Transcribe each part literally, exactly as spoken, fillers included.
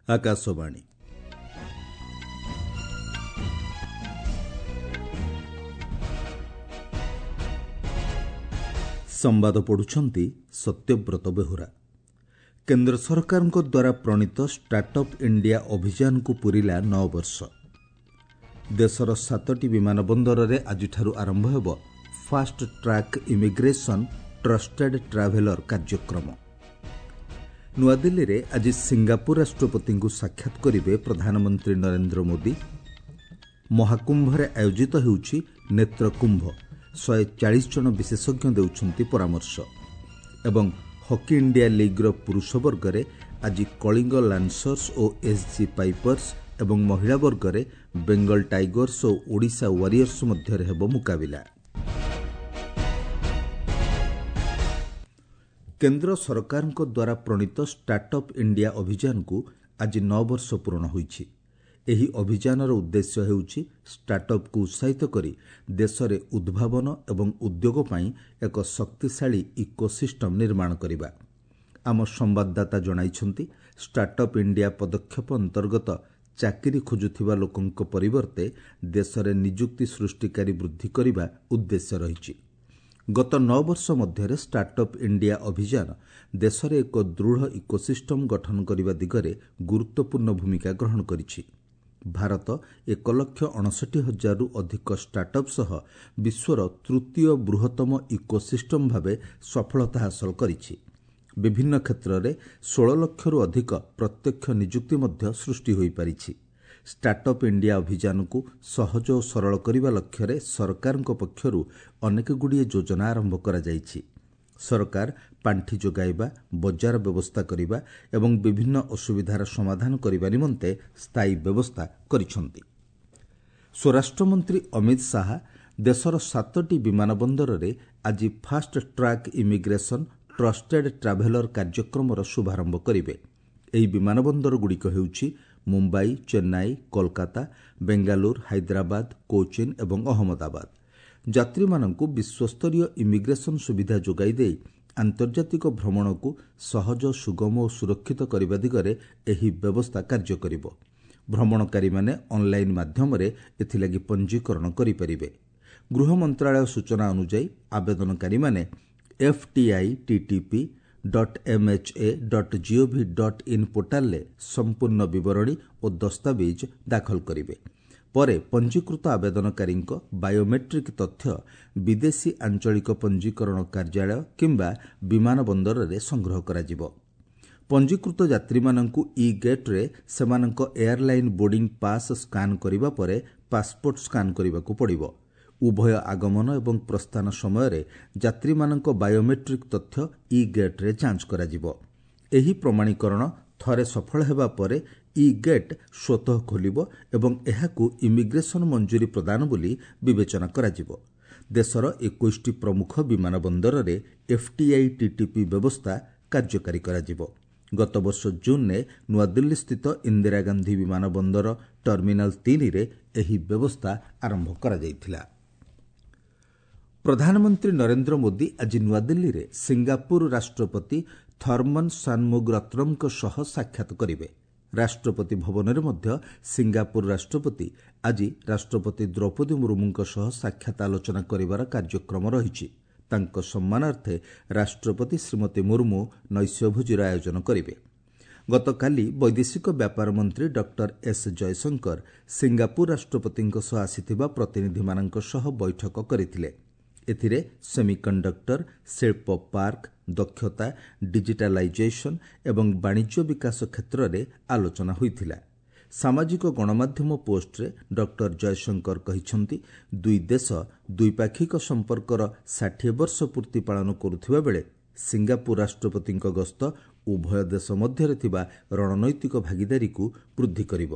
ଆକାଶବାଣୀ। ସମ୍ବାଦ ପଢୁଛନ୍ତି ସତ୍ୟବ୍ରତ ବେହୁରା। କେନ୍ଦ୍ର ସରକାରଙ୍କ ଦ୍ୱାରା ପ୍ରଣୀତ ଷ୍ଟାର୍ଟଅପ୍ ଇଣ୍ଡିଆ ଅଭିଯାନକୁ ପୂରିଲା ନଅ ବର୍ଷ। ଦେଶର ସାତଟି ବିମାନ ବନ୍ଦରରେ ଆଜିଠାରୁ ଆରମ୍ଭ ହେବ fast track immigration trusted traveller କାର୍ଯ୍ୟକ୍ରମ। ନୂଆଦିଲ୍ଲୀରେ ଆଜି ସିଙ୍ଗାପୁର ରାଷ୍ଟ୍ରପତିଙ୍କୁ ସାକ୍ଷାତ କରିବେ ପ୍ରଧାନମନ୍ତ୍ରୀ ନରେନ୍ଦ୍ର ମୋଦି। ମହାକୁମ୍ଭରେ ଆୟୋଜିତ ହେଉଛି ନେତ୍ରକୁମ୍ଭ, ଶହେ ଚାଳିଶ ଜଣ ବିଶେଷଜ୍ଞ ଦେଉଛନ୍ତି ପରାମର୍ଶ। ଏବଂ ହକି ଇଣ୍ଡିଆ ଲିଗ୍ର ପୁରୁଷ ବର୍ଗରେ ଆଜି କଳିଙ୍ଗ ଲାନ୍ସର୍ସ ଓ ଏସ୍ଜି ପାଇପର୍ସ ଏବଂ ମହିଳା ବର୍ଗରେ ବେଙ୍ଗଲ ଟାଇଗର୍ସ ଓ ଓଡ଼ିଶା ୱାରିୟର୍ସ ମଧ୍ୟରେ ହେବ ମୁକାବିଲା। କେନ୍ଦ୍ର ସରକାରଙ୍କ ଦ୍ୱାରା ପ୍ରଣୀତ ଷ୍ଟାର୍ଟଅପ୍ ଇଣ୍ଡିଆ ଅଭିଯାନକୁ ଆଜି ନଅ ବର୍ଷ ପୂରଣ ହୋଇଛି। ଏହି ଅଭିଯାନର ଉଦ୍ଦେଶ୍ୟ ହେଉଛି ଷ୍ଟାର୍ଟଅପ୍କୁ ଉତ୍ସାହିତ କରି ଦେଶରେ ଉଦ୍ଭାବନ ଏବଂ ଉଦ୍ୟୋଗ ପାଇଁ ଏକ ଶକ୍ତିଶାଳୀ ଇକୋସିଷ୍ଟମ୍ ନିର୍ମାଣ କରିବା। ଆମ ସମ୍ବାଦଦାତା ଜଣାଇଛନ୍ତି, ଷ୍ଟାର୍ଟଅପ୍ ଇଣ୍ଡିଆ ପଦକ୍ଷେପ ଅନ୍ତର୍ଗତ ଚାକିରି ଖୋଜୁଥିବା ଲୋକଙ୍କ ପରିବର୍ତ୍ତେ ଦେଶରେ ନିଯୁକ୍ତି ସୃଷ୍ଟିକାରୀ ବୃଦ୍ଧି କରିବା ଉଦ୍ଦେଶ୍ୟ ରହିଛି। ଗତ ନଅ ବର୍ଷ ମଧ୍ୟରେ ଷ୍ଟାର୍ଟଅପ୍ ଇଣ୍ଡିଆ ଅଭିଯାନ ଦେଶରେ ଏକ ଦୃଢ଼ ଇକୋସିଷ୍ଟମ୍ ଗଠନ କରିବା ଦିଗରେ ଗୁରୁତ୍ୱପୂର୍ଣ୍ଣ ଭୂମିକା ଗ୍ରହଣ କରିଛି। ଭାରତ ଏକ ଲକ୍ଷ ଅଣଷଠି ହଜାରରୁ ଅଧିକ ଷ୍ଟାର୍ଟଅପ୍ ସହ ବିଶ୍ୱର ତୃତୀୟ ବୃହତ୍ତମ ଇକୋସିଷ୍ଟମ୍ ଭାବେ ସଫଳତା ହାସଲ କରିଛି। ବିଭିନ୍ନ କ୍ଷେତ୍ରରେ ଷୋହଳ ଲକ୍ଷରୁ ଅଧିକ ପ୍ରତ୍ୟକ୍ଷ ନିଯୁକ୍ତି ମଧ୍ୟ ସୃଷ୍ଟି ହୋଇପାରିଛି। ଷ୍ଟାର୍ଟଅପ୍ ଇଣ୍ଡିଆ ଅଭିଯାନକୁ ସହଜ ଓ ସରଳ କରିବା ଲକ୍ଷ୍ୟରେ ସରକାରଙ୍କ ପକ୍ଷରୁ ଅନେକଗୁଡ଼ିଏ ଯୋଜନା ଆରମ୍ଭ କରାଯାଇଛି। ସରକାର ପାଣ୍ଠି ଯୋଗାଇବା, ବଜାର ବ୍ୟବସ୍ଥା କରିବା ଏବଂ ବିଭିନ୍ନ ଅସୁବିଧାର ସମାଧାନ କରିବା ନିମନ୍ତେ ସ୍ଥାୟୀ ବ୍ୟବସ୍ଥା କରିଛନ୍ତି। ସ୍ୱରାଷ୍ଟ୍ରମନ୍ତ୍ରୀ ଅମିତ ଶାହା ଦେଶର ସାତଟି ବିମାନ ବନ୍ଦରରେ ଆଜି fast track immigration trusted traveller କାର୍ଯ୍ୟକ୍ରମର ଶୁଭାରମ୍ଭ କରିବେ। ଏହି ବିମାନ ବନ୍ଦରଗୁଡ଼ିକ ହେଉଛି ମୁମ୍ବାଇ, ଚେନ୍ନାଇ, କୋଲକାତା, ବେଙ୍ଗାଲୁରୁ, ହାଇଦ୍ରାବାଦ, କୋଚିନ୍ ଏବଂ ଅହମ୍ମଦାବାଦ। ଯାତ୍ରୀମାନଙ୍କୁ ବିଶ୍ୱସ୍ତରୀୟ ଇମିଗ୍ରେସନ୍ ସୁବିଧା ଯୋଗାଇ ଦେଇ ଆନ୍ତର୍ଜାତିକ ଭ୍ରମଣକୁ ସହଜ, ସୁଗମ ଓ ସୁରକ୍ଷିତ କରିବା ଦିଗରେ ଏହି ବ୍ୟବସ୍ଥା କାର୍ଯ୍ୟ କରିବ। ଭ୍ରମଣକାରୀମାନେ ଅନ୍ଲାଇନ୍ ମାଧ୍ୟମରେ ଏଥିଲାଗି ପଞ୍ଜୀକରଣ କରିପାରିବେ। ଗୃହ ମନ୍ତ୍ରଣାଳୟ ସୂଚନା ଅନୁଯାୟୀ ଆବେଦନକାରୀମାନେ F T I T T P dot M H A dot G O V dot in ପୋର୍ଟାଲରେ ସମ୍ପୂର୍ଣ୍ଣ ବିବରଣୀ ଓ ଦସ୍ତାବିଜ୍ ଦାଖଲ କରିବେ। ପରେ ପଞ୍ଜୀକୃତ ଆବେଦନକାରୀଙ୍କ ବାୟୋମେଟ୍ରିକ୍ ତଥ୍ୟ ବିଦେଶୀ ଆଞ୍ଚଳିକ ପଞ୍ଜୀକରଣ କାର୍ଯ୍ୟାଳୟ କିମ୍ବା ବିମାନ ବନ୍ଦରରେ ସଂଗ୍ରହ କରାଯିବ। ପଞ୍ଜୀକୃତ ଯାତ୍ରୀମାନଙ୍କୁ ଇ ଗେଟ୍ରେ ସେମାନଙ୍କ ଏୟାରଲାଇନ୍ ବୋର୍ଡିଂ ପାସ୍ ସ୍କାନ୍ କରିବା ପରେ ପାସ୍ପୋର୍ଟ ସ୍କାନ୍ କରିବାକୁ ପଡ଼ିବ। ଉଭୟ ଆଗମନ ଏବଂ ପ୍ରସ୍ଥାନ ସମୟରେ ଯାତ୍ରୀମାନଙ୍କ ବାୟୋମେଟ୍ରିକ୍ ତଥ୍ୟ ଇ ଗେଟ୍ରେ ଯାଞ୍ଚ କରାଯିବ। ଏହି ପ୍ରମାଣୀକରଣ ଥରେ ସଫଳ ହେବା ପରେ ଇ ଗେଟ୍ ସ୍ୱତଃ ଖୋଲିବ ଏବଂ ଏହାକୁ ଇମିଗ୍ରେସନ୍ ମଞ୍ଜୁରୀ ପ୍ରଦାନ ବୋଲି ବିବେଚନା କରାଯିବ। ଦେଶର ଏକୋଇଶଟି ପ୍ରମୁଖ ବିମାନ ବନ୍ଦରରେ ଏଫ୍ଟିଆଇ ଟିଟିପି ବ୍ୟବସ୍ଥା କାର୍ଯ୍ୟକାରୀ କରାଯିବ। ଗତବର୍ଷ ଜୁନ୍ରେ ନୂଆଦିଲ୍ଲୀସ୍ଥିତ ଇନ୍ଦିରା ଗାନ୍ଧୀ ବିମାନ ବନ୍ଦର ଟର୍ମିନାଲ ତିନିରେ ଏହି ବ୍ୟବସ୍ଥା ଆରମ୍ଭ କରାଯାଇଥିଲା। ପ୍ରଧାନମନ୍ତ୍ରୀ ନରେନ୍ଦ୍ର ମୋଦି ଆଜି ନୂଆଦିଲ୍ଲୀରେ ସିଙ୍ଗାପୁର ରାଷ୍ଟ୍ରପତି ଥର୍ମନ୍ ସାନମୁଗରତ୍ନମଙ୍କ ସହ ସାକ୍ଷାତ କରିବେ। ରାଷ୍ଟ୍ରପତି ଭବନରେ ମଧ୍ୟ ସିଙ୍ଗାପୁର ରାଷ୍ଟ୍ରପତି ଆଜି ରାଷ୍ଟ୍ରପତି ଦ୍ରୌପଦୀ ମୁର୍ମୁଙ୍କ ସହ ସାକ୍ଷାତ ଆଲୋଚନା କରିବାର କାର୍ଯ୍ୟକ୍ରମ ରହିଛି। ତାଙ୍କ ସମ୍ମାନାର୍ଥେ ରାଷ୍ଟ୍ରପତି ଶ୍ରୀମତୀ ମୁର୍ମୁ ନୈଶ୍ୟଭୋଜିର ଆୟୋଜନ କରିବେ। ଗତକାଲି ବୈଦେଶିକ ବ୍ୟାପାର ମନ୍ତ୍ରୀ ଡକ୍ଟର ଏସ୍ ଜୟଶଙ୍କର ସିଙ୍ଗାପୁର ରାଷ୍ଟ୍ରପତିଙ୍କ ସହ ଆସିଥିବା ପ୍ରତିନିଧିମାନଙ୍କ ସହ ବୈଠକ କରିଥିଲେ। ଏଥିରେ ସେମିକଣ୍ଡକ୍ଟର, ଶିଳ୍ପ ପାର୍କ, ଦକ୍ଷତା, ଡିଜିଟାଲାଇଜେସନ୍ ଏବଂ ବାଣିଜ୍ୟ ବିକାଶ କ୍ଷେତ୍ରରେ ଆଲୋଚନା ହୋଇଥିଲା। ସାମାଜିକ ଗଣମାଧ୍ୟମ ପୋଷ୍ଟରେ ଡକ୍ଟର ଜୟଶଙ୍କର କହିଛନ୍ତି, ଦୁଇ ଦେଶ ଦ୍ୱିପାକ୍ଷିକ ସମ୍ପର୍କର ଷାଠିଏ ବର୍ଷ ପୂର୍ତ୍ତି ପାଳନ କରୁଥିବା ବେଳେ ସିଙ୍ଗାପୁର ରାଷ୍ଟ୍ରପତିଙ୍କ ଗସ୍ତ ଉଭୟ ଦେଶ ମଧ୍ୟରେ ଥିବା ରଣନୈତିକ ଭାଗିଦାରୀକୁ ବୃଦ୍ଧି କରିବ।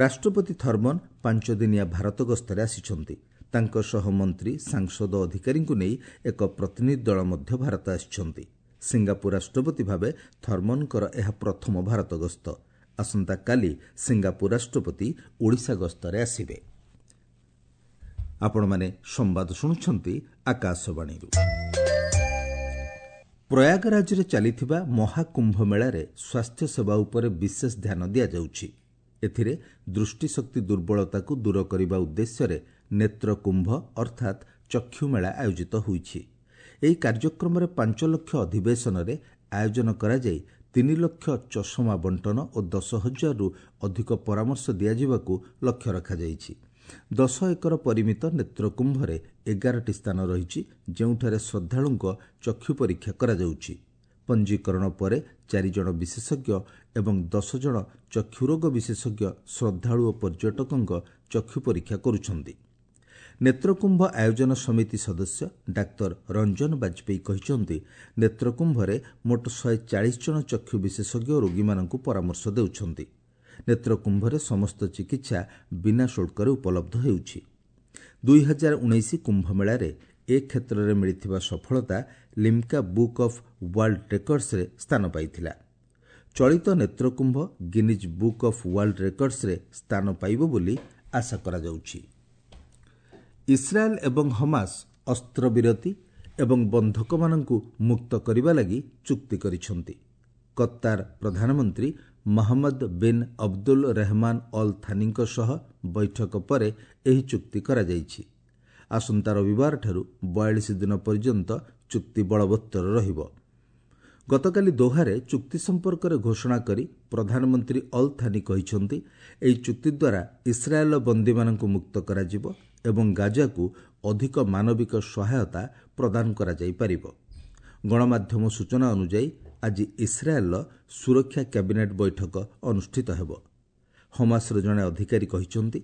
ରାଷ୍ଟ୍ରପତି ଥର୍ମନ୍ ପାଞ୍ଚଦିନିଆ ଭାରତ ଗସ୍ତରେ ଆସିଛନ୍ତି। ତାଙ୍କ ସହ ମନ୍ତ୍ରୀ, ସାଂସଦ, ଅଧିକାରୀଙ୍କୁ ନେଇ ଏକ ପ୍ରତିନିଧି ଦଳ ମଧ୍ୟ ଭାରତ ଆସିଛନ୍ତି। ସିଙ୍ଗାପୁର ରାଷ୍ଟ୍ରପତି ଭାବେ ଥର୍ମନଙ୍କର ଏହା ପ୍ରଥମ ଭାରତ ଗସ୍ତ। ଆସନ୍ତାକାଲି ସିଙ୍ଗାପୁର ରାଷ୍ଟ୍ରପତି ଓଡ଼ିଶା ଗସ୍ତରେ ଆସିବେ। ଆପଣମାନେ ସମ୍ବାଦ ଶୁଣୁଛନ୍ତି ଆକାଶବାଣୀରୁ। ପ୍ରୟାଗରାଜରେ ଚାଲିଥିବା ମହାକୁମ୍ଭ ମେଳାରେ ସ୍ୱାସ୍ଥ୍ୟସେବା ଉପରେ ବିଶେଷ ଧ୍ୟାନ ଦିଆଯାଉଛି। ଏଥିରେ ଦୃଷ୍ଟିଶକ୍ତି ଦୁର୍ବଳତାକୁ ଦୂର କରିବା ଉଦ୍ଦେଶ୍ୟରେ ନେତ୍ରକୁମ୍ଭ ଅର୍ଥାତ୍ ଚକ୍ଷୁମେଳା ଆୟୋଜିତ ହୋଇଛି। ଏହି କାର୍ଯ୍ୟକ୍ରମରେ ପାଞ୍ଚ ଲକ୍ଷ ଅଧିବେଶନରେ ଆୟୋଜନ କରାଯାଇ ତିନି ଲକ୍ଷ ଚଷମା ବଣ୍ଟନ ଓ ଦଶ ହଜାରରୁ ଅଧିକ ପରାମର୍ଶ ଦିଆଯିବାକୁ ଲକ୍ଷ୍ୟ ରଖାଯାଇଛି। ଦଶ ଏକର ପରିମିତ ନେତ୍ରକୁମ୍ଭରେ ଏଗାରଟି ସ୍ଥାନ ରହିଛି, ଯେଉଁଠାରେ ଶ୍ରଦ୍ଧାଳୁଙ୍କ ଚକ୍ଷୁ ପରୀକ୍ଷା କରାଯାଉଛି। ପଞ୍ଜୀକରଣ ପରେ ଚାରିଜଣ ବିଶେଷଜ୍ଞ ଏବଂ ଦଶ ଜଣ ଚକ୍ଷୁରୋଗ ବିଶେଷଜ୍ଞ ଶ୍ରଦ୍ଧାଳୁ ଓ ପର୍ଯ୍ୟଟକଙ୍କ ଚକ୍ଷୁ ପରୀକ୍ଷା କରୁଛନ୍ତି। ନେତ୍ରକୁମ୍ଭ ଆୟୋଜନ ସମିତି ସଦସ୍ୟ ଡାକ୍ତର ରଞ୍ଜନ ବାଜପେୟୀ କହିଛନ୍ତି, ନେତ୍ରକୁମ୍ଭରେ ମୋଟ ଶହେ ଚାଳିଶ ଜଣ ଚକ୍ଷୁ ବିଶେଷଜ୍ଞ ରୋଗୀମାନଙ୍କୁ ପରାମର୍ଶ ଦେଉଛନ୍ତି। ନେତ୍ରକୁମ୍ଭରେ ସମସ୍ତ ଚିକିତ୍ସା ବିନା ଶୁଳ୍କରେ ଉପଲବ୍ଧ ହେଉଛି। ଦୁଇ ହଜାର ଉଣେଇଶ କୁମ୍ଭମେଳାରେ ଏ କ୍ଷେତ୍ରରେ ମିଳିଥିବା ସଫଳତା ଲିମ୍କା ବୁକ୍ ଅଫ୍ ୱାର୍ଲଡ ରେକର୍ଡସରେ ସ୍ଥାନ ପାଇଥିଲା। ଚଳିତ ନେତ୍ରକୁମ୍ଭ ଗିନିଜ୍ ବୁକ୍ ଅଫ୍ ୱାର୍ଲଡ ରେକର୍ଡସରେ ସ୍ଥାନ ପାଇବ ବୋଲି ଆଶା କରାଯାଉଛି। ଇସ୍ରାଏଲ୍ ଏବଂ ହମାସ ଅସ୍ତ୍ରବିରତି ଏବଂ ବନ୍ଧକମାନଙ୍କୁ ମୁକ୍ତ କରିବା ଲାଗି ଚୁକ୍ତି କରିଛନ୍ତି। କତ୍ତାର ପ୍ରଧାନମନ୍ତ୍ରୀ Mohammed bin Abdul Rahman Al ଥାନିଙ୍କ ସହ ବୈଠକ ପରେ ଏହି ଚୁକ୍ତି କରାଯାଇଛି। ଆସନ୍ତା ରବିବାରଠାରୁ ବୟାଳିଶ ଦିନ ପର୍ଯ୍ୟନ୍ତ ଚୁକ୍ତି ବଳବତ୍ତର ରହିବ। ଗତକାଲି ଦୋହାରେ ଚୁକ୍ତି ସମ୍ପର୍କରେ ଘୋଷଣା କରି ପ୍ରଧାନମନ୍ତ୍ରୀ ଅଲ୍ ଥାନି କହିଛନ୍ତି, ଏହି ଚୁକ୍ତି ଦ୍ୱାରା ଇସ୍ରାଏଲ୍ର ବନ୍ଦୀମାନଙ୍କୁ ମୁକ୍ତ କରାଯିବ ଏବଂ ଗାଜାକୁ ଅଧିକ ମାନବିକ ସହାୟତା ପ୍ରଦାନ କରାଯାଇପାରିବ। ଗଣମାଧ୍ୟମ ସୂଚନା ଅନୁଯାୟୀ ଆଜି ଇସ୍ରାଏଲ୍ର ସୁରକ୍ଷା କ୍ୟାବିନେଟ୍ ବୈଠକ ଅନୁଷ୍ଠିତ ହେବ। ହମାସର ଜଣେ ଅଧିକାରୀ କହିଛନ୍ତି,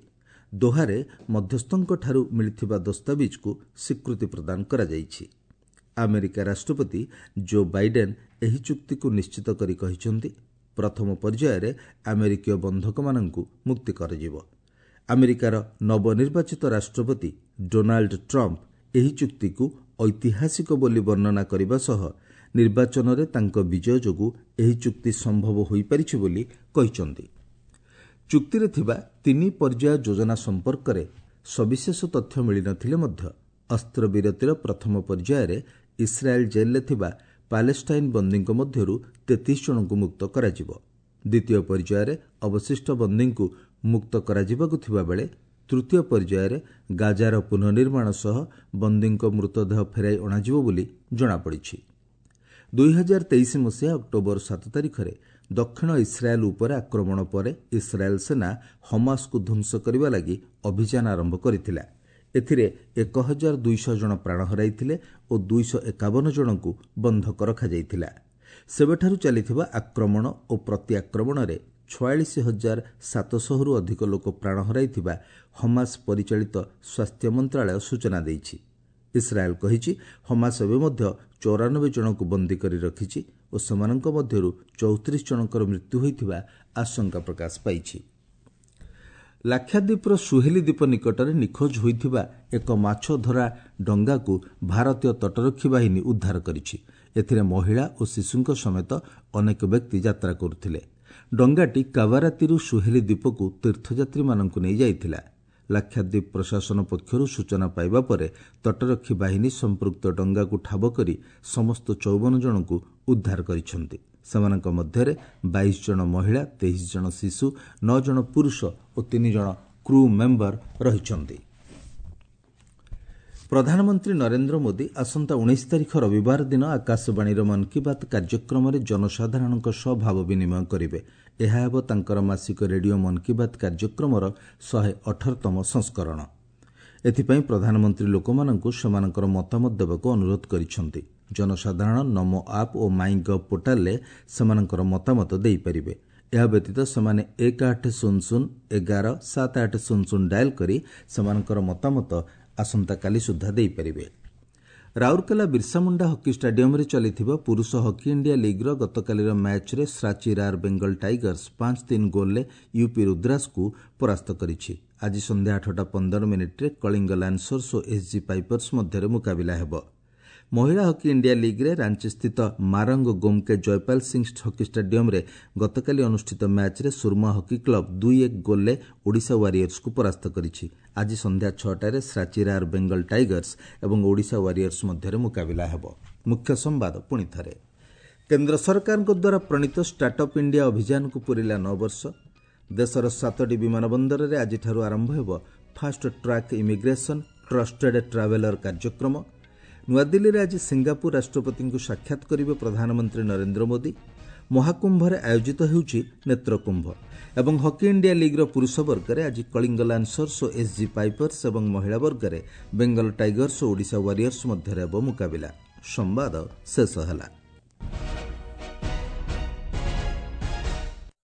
ଦୋହାରେ ମଧ୍ୟସ୍ଥଙ୍କଠାରୁ ମିଳିଥିବା ଦସ୍ତାବିଜକୁ ସ୍ୱୀକୃତି ପ୍ରଦାନ କରାଯାଇଛି। ଆମେରିକା ରାଷ୍ଟ୍ରପତି ଜୋ ବାଇଡେନ୍ ଏହି ଚୁକ୍ତିକୁ ନିଶ୍ଚିତ କରି କହିଛନ୍ତି, ପ୍ରଥମ ପର୍ଯ୍ୟାୟରେ ଆମେରିକୀୟ ବନ୍ଧକମାନଙ୍କୁ ମୁକ୍ତି କରାଯିବ। ଆମେରିକାର ନବନିର୍ବାଚିତ ରାଷ୍ଟ୍ରପତି ଡୋନାଲ୍ଡ ଟ୍ରମ୍ପ ଏହି ଚୁକ୍ତିକୁ ଐତିହାସିକ ବୋଲି ବର୍ଣ୍ଣନା କରିବା ସହ ନିର୍ବାଚନରେ ତାଙ୍କ ବିଜୟ ଯୋଗୁଁ ଏହି ଚୁକ୍ତି ସମ୍ଭବ ହୋଇପାରିଛି ବୋଲି କହିଛନ୍ତି। ଚୁକ୍ତିରେ ଥିବା ତିନି ପର୍ଯ୍ୟାୟ ଯୋଜନା ସମ୍ପର୍କରେ ସବିଶେଷ ତଥ୍ୟ ମିଳିନଥିଲେ ମଧ୍ୟ ଅସ୍ତ୍ରବିରତିର ପ୍ରଥମ ପର୍ଯ୍ୟାୟରେ ଇସ୍ରାଏଲ୍ ଜେଲ୍ରେ ଥିବା ପାଲେଷ୍ଟାଇନ୍ ବନ୍ଦୀଙ୍କ ମଧ୍ୟରୁ ତେତିଶ ଜଣଙ୍କୁ ମୁକ୍ତ କରାଯିବ। ଦ୍ୱିତୀୟ ପର୍ଯ୍ୟାୟରେ ଅବଶିଷ୍ଟ ବନ୍ଦୀଙ୍କୁ ମୁକ୍ତ କରାଯିବାକୁ ଥିବାବେଳେ ତୃତୀୟ ପର୍ଯ୍ୟାୟରେ ଗାଜାର ପୁନଃନିର୍ମାଣ ସହ ବନ୍ଦୀଙ୍କ ମୃତଦେହ ଫେରାଇ ଅଣାଯିବ ବୋଲି ଜଣାପଡ଼ିଛି। ଦୁଇ ହଜାର ତେଇଶ ମସିହା ଅକ୍ଟୋବର ସାତ ତାରିଖରେ ଦକ୍ଷିଣ ଇସ୍ରାଏଲ୍ ଉପରେ ଆକ୍ରମଣ ପରେ ଇସ୍ରାଏଲ୍ ସେନା ହମାସକୁ ଧ୍ୱଂସ କରିବା ଲାଗି ଅଭିଯାନ ଆରମ୍ଭ କରିଥିଲା। ଏଥିରେ ଏକ ହଜାର ଦୁଇଶହ ଜଣ ପ୍ରାଣ ହରାଇଥିଲେ ଓ ଦୁଇଶହ ଏକାବନ ଜଣଙ୍କୁ ବନ୍ଧକ ରଖାଯାଇଥିଲା। ସେବେଠାରୁ ଚାଲିଥିବା ଆକ୍ରମଣ ଓ ପ୍ରତିଆକ୍ରମଣରେ ଛୟାଳିଶ ହଜାର ସାତଶହରୁ ଅଧିକ ଲୋକ ପ୍ରାଣ ହରାଇଥିବା ହମାସ ପରିଚାଳିତ ସ୍ୱାସ୍ଥ୍ୟ ମନ୍ତ୍ରାଳୟ ସୂଚନା ଦେଇଛି। ଇସ୍ରାଏଲ୍ କହିଛି, ହମାସ ଏବେ ମଧ୍ୟ ଚଉରାନବେ ଜଣଙ୍କୁ ବନ୍ଦୀ କରି ରଖିଛି ଓ ସେମାନଙ୍କ ମଧ୍ୟରୁ ଚଉତିରିଶ ଜଣଙ୍କର ମୃତ୍ୟୁ ହୋଇଥିବା ଆଶଙ୍କା ପ୍ରକାଶ ପାଇଛି। ଲାକ୍ଷାଦ୍ୱୀପର ସୁହେଲି ଦ୍ୱୀପ ନିକଟରେ ନିଖୋଜ ହୋଇଥିବା ଏକ ମାଛଧରା ଡଙ୍ଗାକୁ ଭାରତୀୟ ତଟରକ୍ଷୀ ବାହିନୀ ଉଦ୍ଧାର କରିଛି। ଏଥିରେ ମହିଳା ଓ ଶିଶୁଙ୍କ ସମେତ ଅନେକ ବ୍ୟକ୍ତି ଯାତ୍ରା କରୁଥିଲେ। ଡଙ୍ଗାଟି କାଭାରାତିରୁ ସୁହେଲି ଦ୍ୱୀପକୁ ତୀର୍ଥଯାତ୍ରୀମାନଙ୍କୁ ନେଇ ଯାଇଥିଲା। ଲାକ୍ଷାଦ୍ୱୀପ ପ୍ରଶାସନ ପକ୍ଷରୁ ସୂଚନା ପାଇବା ପରେ ତଟରକ୍ଷୀ ବାହିନୀ ସମ୍ପୃକ୍ତ ଡଙ୍ଗାକୁ ଠାବ କରି ସମସ୍ତ ଚଉବନ ଜଣଙ୍କୁ ଉଦ୍ଧାର କରିଛନ୍ତି। ସେମାନଙ୍କ ମଧ୍ୟରେ ବାଇଶ ଜଣ ମହିଳା, ତେଇଶ ଜଣ ଶିଶୁ, ନଅ ଜଣ ପୁରୁଷ ଓ ତିନି ଜଣ କ୍ରୁ ମେମ୍ବର ରହିଛନ୍ତି। ପ୍ରଧାନମନ୍ତ୍ରୀ ନରେନ୍ଦ୍ର ମୋଦି ଆସନ୍ତା ଉଣେଇଶ ତାରିଖ ରବିବାର ଦିନ ଆକାଶବାଣୀର ମନ୍ କି ବାତ୍ କାର୍ଯ୍ୟକ୍ରମରେ ଜନସାଧାରଣଙ୍କ ସହ ଭାବ ବିନିମୟ କରିବେ। ଏହା ହେବ ତାଙ୍କର ମାସିକ ରେଡିଓ ମନ୍ କି ବାତ୍ କାର୍ଯ୍ୟକ୍ରମର ଶହେ ଅଠରତମ ସଂସ୍କରଣ। ଏଥିପାଇଁ ପ୍ରଧାନମନ୍ତ୍ରୀ ଲୋକମାନଙ୍କୁ ସେମାନଙ୍କର ମତାମତ ଦେବାକୁ ଅନୁରୋଧ କରିଛନ୍ତି। ଜନସାଧାରଣ ନମୋ ଆପ୍ ଓ ମାଇ ଗଭ୍ ପୋର୍ଟାଲରେ ସେମାନଙ୍କର ମତାମତ ଦେଇପାରିବେ। ଏହା ବ୍ୟତୀତ ସେମାନେ ଏକ ଆଠ ଶୂନ ଶୂନ ଏଗାର ସାତ ଆଠ ଶୂନ ଶୂନ ଡାଏଲ୍ କରି ସେମାନଙ୍କର ମତାମତ ଆସନ୍ତାକାଲି ସୁଦ୍ଧା ଦେଇପାରିବେ। ରାଉରକେଲା ବିର୍ସାମୁଣ୍ଡା ହକି ଷ୍ଟାଡିୟମରେ ଚାଲିଥିବା ପୁରୁଷ ହକି ଇଣ୍ଡିଆ ଲିଗ୍ର ଗତକାଲିର ମ୍ୟାଚ୍ରେ ଶ୍ରାଚୀ ରାର୍ ବେଙ୍ଗଲ ଟାଇଗର୍ସ ପାଞ୍ଚ ତିନି ଗୋଲ୍ରେ ୟୁପି ରୁଦ୍ରାସକୁ ପରାସ୍ତ କରିଛି। ଆଜି ସନ୍ଧ୍ୟା ଆଠଟା ପନ୍ଦର ମିନିଟ୍ରେ କଳିଙ୍ଗ ଲାନ୍ସର୍ସ ଓ ଏସ୍ଜି ପାଇପର୍ସ ମଧ୍ୟରେ ମୁକାବିଲା ହେବ। ମହିଳା ହକି ଇଣ୍ଡିଆ ଲିଗ୍ରେ ରାଞ୍ଚିସ୍ଥିତ ମାରଙ୍ଗ ଗୋମ୍କେ ଜୟପାଲ ସିଂ ହକି ଷ୍ଟାଡିୟମ୍ରେ ଗତକାଲି ଅନୁଷ୍ଠିତ ମ୍ୟାଚ୍ରେ ସୁରମା ହକି କ୍ଲବ୍ ଦୁଇ ଏକ ଗୋଲ୍ରେ ଓଡ଼ିଶା ୱାରିୟର୍ସକୁ ପରାସ୍ତ କରିଛି। ଆଜି ସନ୍ଧ୍ୟା ଛଅଟାରେ ଶ୍ରାଚିରାର ବେଙ୍ଗଲ ଟାଇଗର୍ସ ଏବଂ ଓଡ଼ିଶା ୱାରିୟର୍ସ ମଧ୍ୟରେ ମୁକାବିଲା ହେବ। ମୁଖ୍ୟ ସମ୍ବାଦ ପୁଣି ଥରେ, କେନ୍ଦ୍ର ସରକାରଙ୍କ ଦ୍ୱାରା ପ୍ରଣୀତ ଷ୍ଟାର୍ଟଅପ୍ ଇଣ୍ଡିଆ ଅଭିଯାନକୁ ପୂରିଲା ନଅ ବର୍ଷ। ଦେଶର ସାତଟି ବିମାନ ବନ୍ଦରରେ ଆଜିଠାରୁ ଆରମ୍ଭ ହେବ fast track immigration trusted traveller କାର୍ଯ୍ୟକ୍ରମ। ନୂଆଦିଲ୍ଲୀରେ ଆଜି ସିଙ୍ଗାପୁର ରାଷ୍ଟ୍ରପତିଙ୍କୁ ସାକ୍ଷାତ କରିବେ ପ୍ରଧାନମନ୍ତ୍ରୀ ନରେନ୍ଦ୍ର ମୋଦି। ମହାକୁମ୍ଭରେ ଆୟୋଜିତ ହେଉଛି ନେତ୍ରକୁମ୍ଭ। ଏବଂ ହକି ଇଣ୍ଡିଆ ଲିଗ୍ର ପୁରୁଷ ବର୍ଗରେ ଆଜି କଳିଙ୍ଗ ଲାନ୍ସର୍ସ ଓ ଏସ୍ଜି ପାଇପର୍ସ ଏବଂ ମହିଳା ବର୍ଗରେ ବେଙ୍ଗଲ ଟାଇଗର୍ସ ଓ ଓଡ଼ିଶା ୱାରିୟର୍ସ ମଧ୍ୟରେ ହେବ ମୁକାବିଲା। ସମ୍ବାଦ ଶେଷ ହେଲା।